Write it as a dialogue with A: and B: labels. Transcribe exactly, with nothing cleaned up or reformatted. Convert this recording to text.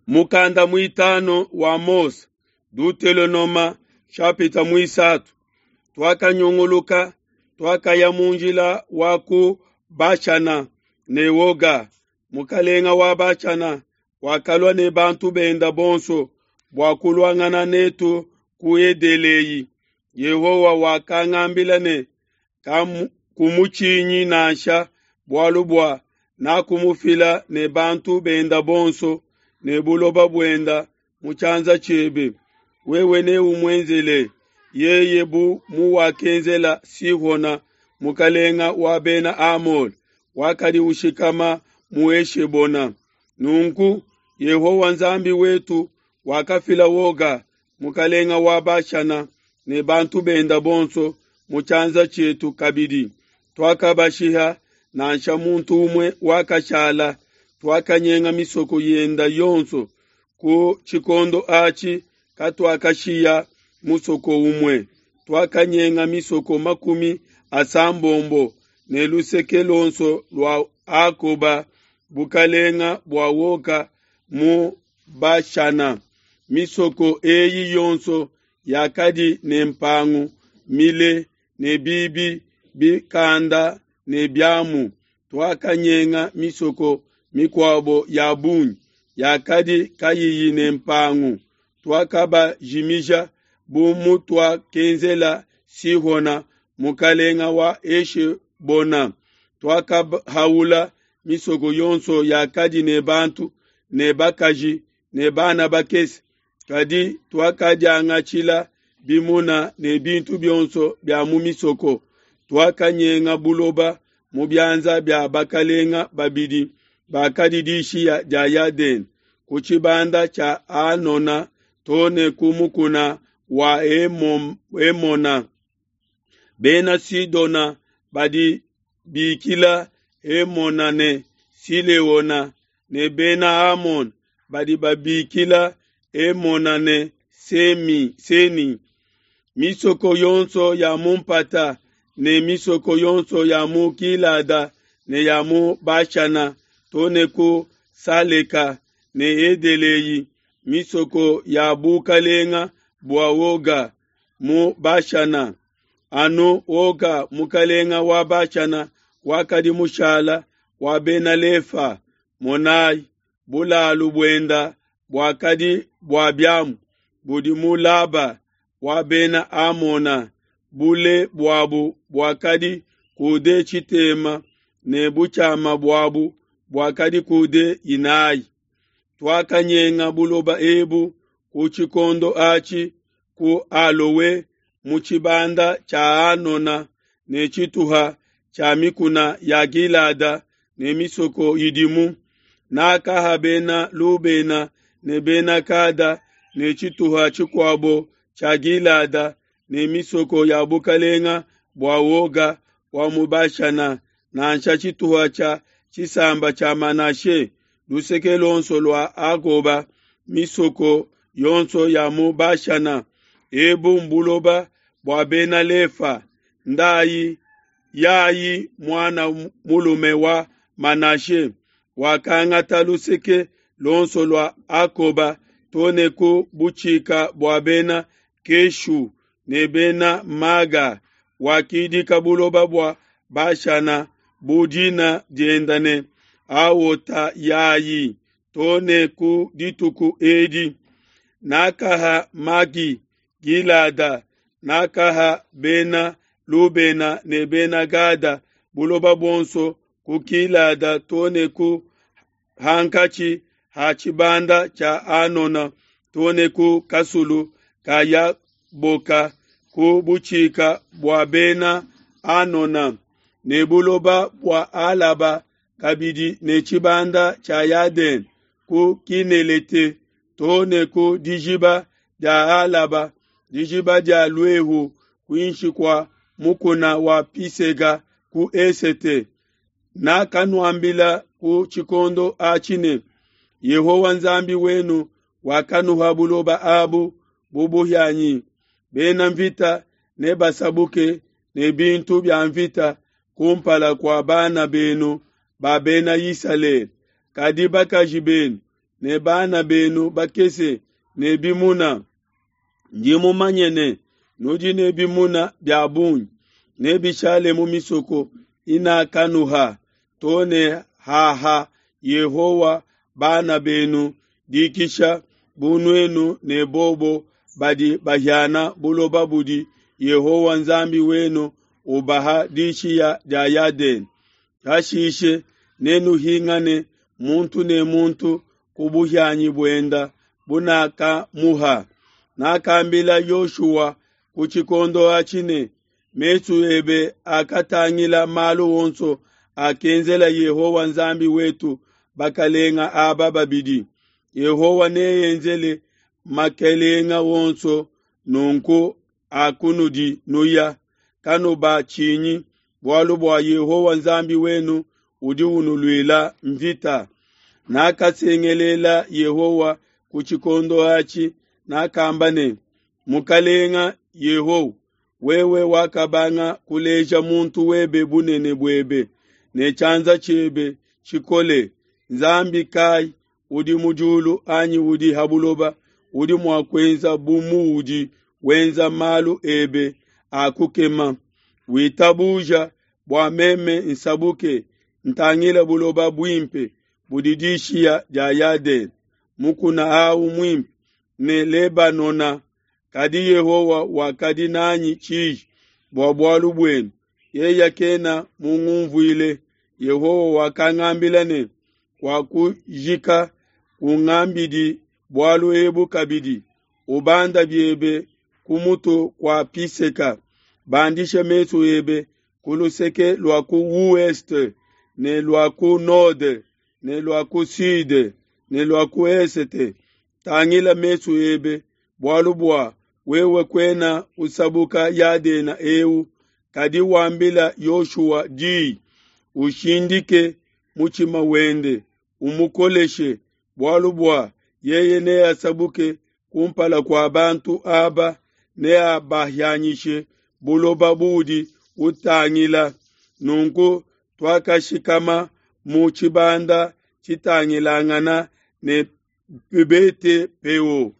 A: Mukanda muitanu wa Mose, Dutelonoma chapitre muisatu. Twakanyunguluka, twakaya mu njila wa ku Bashana ne Oga, mukalenga wa Bashana, wakalua ne bantu benda bonso bua kuluangana netu ku Edelei. Yehowa wakangambila ne, kumutshinyi nansha, bualu bua nakumufila ne bantu benda bonso ne buloba buenda mu tshianza tshiebe. Wewe neumuenzele yeye bu muwakenzela Sihona mukalenga wa bena Amole, wakadi ushikama mu Eshebona. Nunku Yehowa Nzambi wetu wakafila Oga mukalenga wa Bashana ne bantu benda bonso mu tshianza tshietu kabidi. Twakabashiha, nansha muntu umue wakashala. Twakanyenga misoko yenda yonso. Ku tshikondo atshi katuakashiya musoko umue. Twakanyenga misoko makumi asambombo ne luseke luonso lua Akoba, bukalenga bua Oga mu Bashana. Misoko eyi yonso yakadi ne mpangu mile ne bibi bikanda ne biamu. Twakanyenga misoko mikuabo ya bungi yakadi kayiyi ne mpangu. Twakabajimija bu mutuakenzela Sihona mukalenga wa Eshebona. Twakahaula misoko yonso yakadi ne bantu ne bakaji ne bana bakese, kadi twakadiangatshila bimuna ne bintu bionso bia mu misoko. Twakanyenga buloba mu bianza bia bakalenga babidi bakadi dishiya dia Yadene, ku tshibanda tshia Anona too ne ku mukuna wa Emona. Bena Sidona badi bikila Emona ne Sileona, ne Bena Amona badi babikila Emona ne Semi, Seni. Misoko yonso ya mu mpata ne misoko yonso ya mu Gilada ne ya mu Bashana too ne ku Saleka ne Edelei, misoko ya bukalenga bua Oga mu Bashana. Anu Oga mukalenga wa Bashana wakadi mushala wa Bena Lefa. Monai, bulalu buenda buakadi bua biamu budi mu Laba wa Bena Amona. Bule buabu buakadi kude tshitema ne butshiama buabu buakadi kude inayi. Twakanyenga buloba ebu ku tshikondo atshi ku Alowe mu tshibanda tshia Anona ne tshituha tshia mikuna ya Gilada ne misoko idimu. Nakaha bena Lubena ne bena Kada ne tshituha tshikuabo tshia Gilada ne misoko ya bukalenga bua Oga wa mu Bashana, nansha tshituha tshia tshisamba tshia Manashe, luseke luonso lua Agoba, misoko yonso ya mu Bashana. Ebu mbuloba bua bena Lefa. Ndayi Yayi mwana mulume wa Manashe wakangata luseke luonso lua Akoba too ne ku butshika bua bena Keshu ne bena Maga. Wakidika buloba bua Bashana bu dina dienda ne Awota Yayi too ne ku dituku edi. Nakaha Magi Gilada, nakaha bena Lubena ne bena Gada buloba buonso ku Gilada too ne ku hankatshi ha tshibanda tshia Anona too ne ku kasulu ka Yaboka ku butshika bua bena Anona, ne buloba bua Alaba kabidi ne tshibanda tshia Yadene ku Kinelete too ne ku dijiba dia Alaba, dijiba dia Luehu kuinshi kua mukuna wa Pisega ku esete. Nakanuambila ku tshikondo atshi ne, Yehowa Nzambi wenu wakanuha buloba abu bu buhianyi. Bena mvita nebasabuke ne bintu bia mvita kumpala kua bana benu ba bena Isalele, kadi bakaji benu ne bana benu bakese ne bimuna. Ndi mumanye ne, nudi ne bimuna bia bungi, nebishale mu misoko inakanuha, to ne haha Yehowa bana benu dikisha bu nuenu ne bobo badi bahiana buloba budi Yehowa Nzambi wenu ubaha dishiya dia Yadene. Hashishe nenuhingane muntu ne muntu ku buhianyi buenda bunakamuha. Nakambila Yoshua ku tshikondo atshi ne, mesu ebe akatangila malu onso akenzela Yehowa Nzambi wetu bakalenga aba babidi. Yehowa neenzele makelenga onso nunku akunudi nuya, kanubatshinyi, bualu bua Yehowa Nzambi wenu udi unuluila mvita. Nakasengelela Yehowa ku tshikondo atshi, nakamba ne, Mukalenga Yehowa, wewe wakabanga kuleja muntu webe bunene buebe ne tshianza tshiebe tshikole. Nzambi kai udi mu diulu anyi udi ha buloba udi mua kuenza bu muudi wenza malu ebe a kukema? Witabuja bua meme nsabuke ntangile buloba buimpe budi dishiya dia Yadene, mukuna awu muimpe ne Lebanona. Kadi Yehowa wakadi nanyi tshiji bua bualu buenu, yeye kena mungumvuile. Yehowa wakangambila ne, kuakujika kungambidi bualu ebu kabidi. Ubanda biebe ku mutu kua Piseka, bandisha mesu ebe ku luseke lua ku ouest ne lua ku node ne lua ku sud ne lua ku esete. Tangila mesu ebe, bualu bua wewe kuena usabuka Yadena eu. Kadi wambila Yoshua diyi, ushindike mutshima wende, umukoleshe, bualu bua yeye neasabuke kumpala kua bantu aba, neabahianyishe buloba buudi utangila. Nunku tuakashikama mu tshibanda tshitangilangana ne Bete Peo.